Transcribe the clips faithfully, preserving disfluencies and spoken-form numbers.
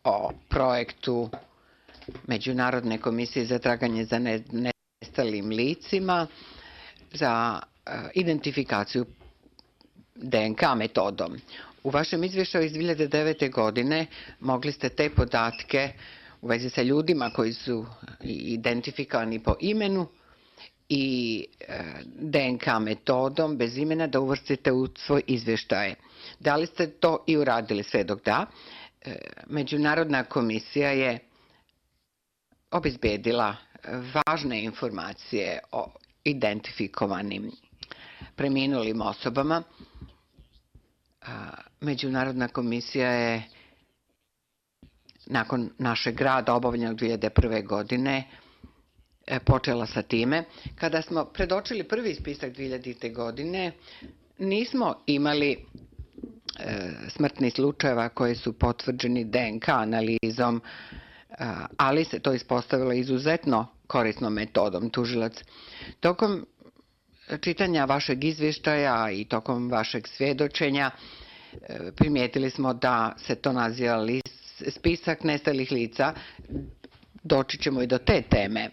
o projektu Međunarodne komisije za traganje za nestalim licima za identifikaciju D N K metodom. U vašem izvještaju iz dvije hiljade devete. godine mogli ste te podatke u vezi sa ljudima koji su identifikovani po imenu i D N K metodom bez imena da uvrstite u svoj izvještaj. Da li ste to i uradili? Sve dok da, Međunarodna komisija je obezbedila važne informacije o identifikovanim preminulim osobama. Međunarodna komisija je nakon našeg rada obavljenog dvije hiljade prve. godine počela sa time. Kada smo predočili prvi spisak dvije hiljadite. godine, nismo imali smrtnih slučajeva koji su potvrđeni D N K analizom, ali se to ispostavilo izuzetno korisnom metodom. Tužilac, tokom čitanja vašeg izvještaja i tokom vašeg svjedočenja primijetili smo da se to naziva spisak nestalih lica. Doći ćemo i do te teme.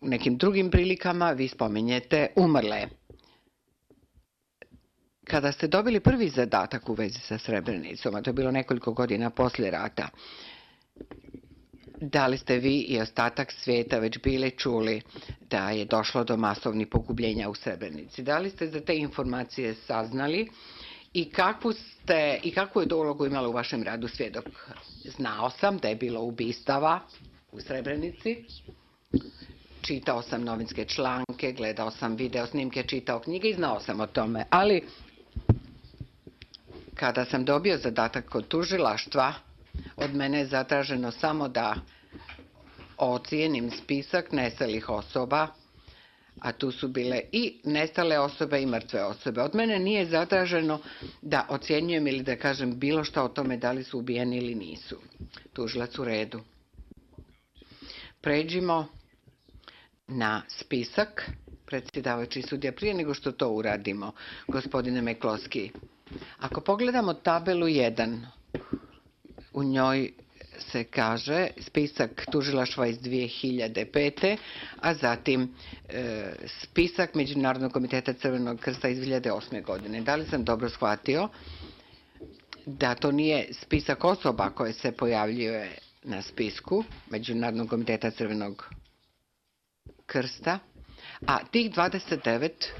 U nekim drugim prilikama vi spominjete umrle. Kada ste dobili prvi zadatak u vezi sa Srebrenicom, a to je bilo nekoliko godina poslije rata, da li ste vi i ostatak svijeta već bili čuli da je došlo do masovnih pogubljenja u Srebrenici? Da li ste za te informacije saznali i kakvu, ste, i kakvu je to ulogu imala u vašem radu svjedok? Znao sam da je bilo ubistava u Srebrenici, čitao sam novinske članke, gledao sam video snimke, čitao knjige i znao sam o tome, ali kada sam dobio zadatak kod tužilaštva, od mene je zatraženo samo da ocijenim spisak nestalih osoba, a tu su bile i nestale osobe i mrtve osobe. Od mene nije zatraženo da ocjenjujem ili da kažem bilo što o tome da li su ubijeni ili nisu. Tužilac, u redu. Pređimo na spisak. Predsjedavajući sudija, prije nego što to uradimo, gospodine Mekloski, ako pogledamo tabelu jedan, u njoj se kaže spisak tužilaštva iz dvije hiljade pete. a zatim e, spisak Međunarodnog komiteta Crvenog krsta iz dvije hiljade osme. godine. Da li sam dobro shvatio da to nije spisak osoba koje se pojavljuje na spisku Međunarodnog komiteta Crvenog krsta, a tih dvadeset devet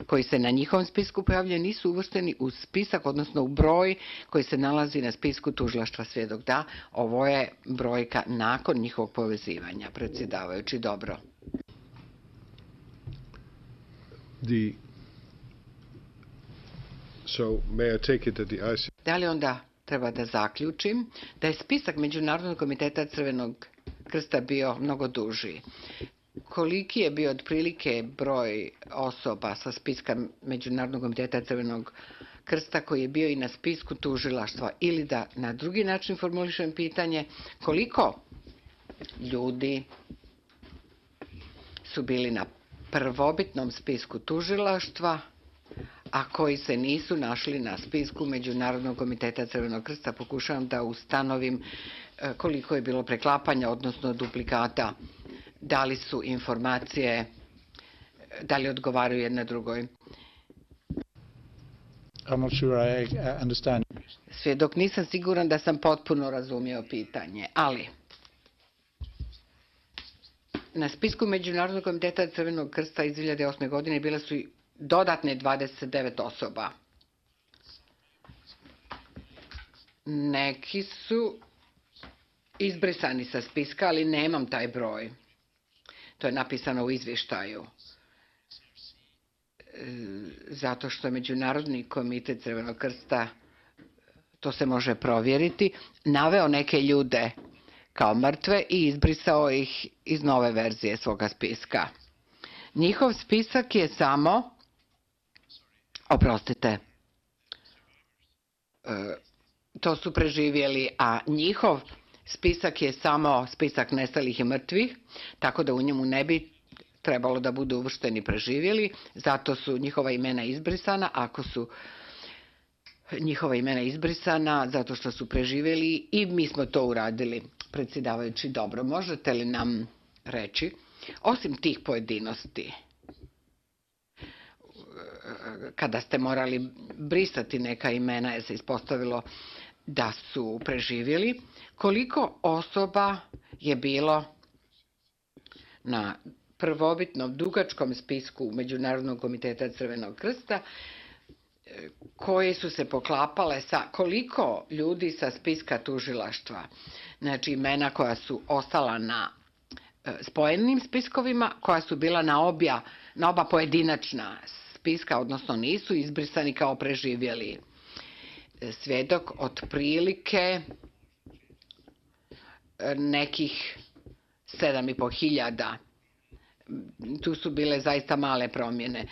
koji se na njihovom spisku pojavljaju nisu uvršteni u spisak, odnosno u broj koji se nalazi na spisku tužilaštva? Svjedok, da, ovo je brojka nakon njihovog povezivanja. Predsjedavajući, dobro. The, so may I take it that the I C... Da li onda treba da zaključim da je spisak Međunarodnog komiteta Crvenog krsta bio mnogo duži? Koliki je bio otprilike broj osoba sa spiska Međunarodnog komiteta Crvenog krsta koji je bio i na spisku tužilaštva? Ili da na drugi način formulišem pitanje, koliko ljudi su bili na prvobitnom spisku tužilaštva, a koji se nisu našli na spisku Međunarodnog komiteta Crvenog krsta? Pokušavam da ustanovim koliko je bilo preklapanja, odnosno duplikata. Da li su informacije, da li odgovaraju jedna drugoj? I'm not sure I understand. Svjedok, nisam siguran da sam potpuno razumio pitanje, ali na spisku Međunarodnog komiteta Crvenog krsta iz dvije hiljade osme. godine bile su i dodatne dvadeset devet osoba. Neki su izbrisani sa spiska, ali nemam taj broj. To je napisano u izvještaju. Zato što Međunarodni komitet Crvenog krsta, to se može provjeriti, naveo neke ljude kao mrtve i izbrisao ih iz nove verzije svoga spiska. Njihov spisak je samo, oprostite, to su preživjeli, a njihov spisak je samo spisak nestalih i mrtvih, tako da u njemu ne bi trebalo da budu uvršteni preživjeli, zato su njihova imena izbrisana ako su njihova imena izbrisana zato što su preživjeli i mi smo to uradili. Predsjedavajući, dobro, možete li nam reći, osim tih pojedinosti, kada ste morali brisati neka imena jer se ispostavilo da su preživjeli, koliko osoba je bilo na prvobitnom dugačkom spisku Međunarodnog komiteta Crvenog krsta koje su se poklapale sa koliko ljudi sa spiska tužilaštva, znači imena koja su ostala na spojenim spiskovima, koja su bila na, obja, na oba pojedinačna spiska, odnosno nisu izbrisani kao preživjeli. Svjedok otprilike nekih sedam i po hiljada. Tu su bile zaista male promjene.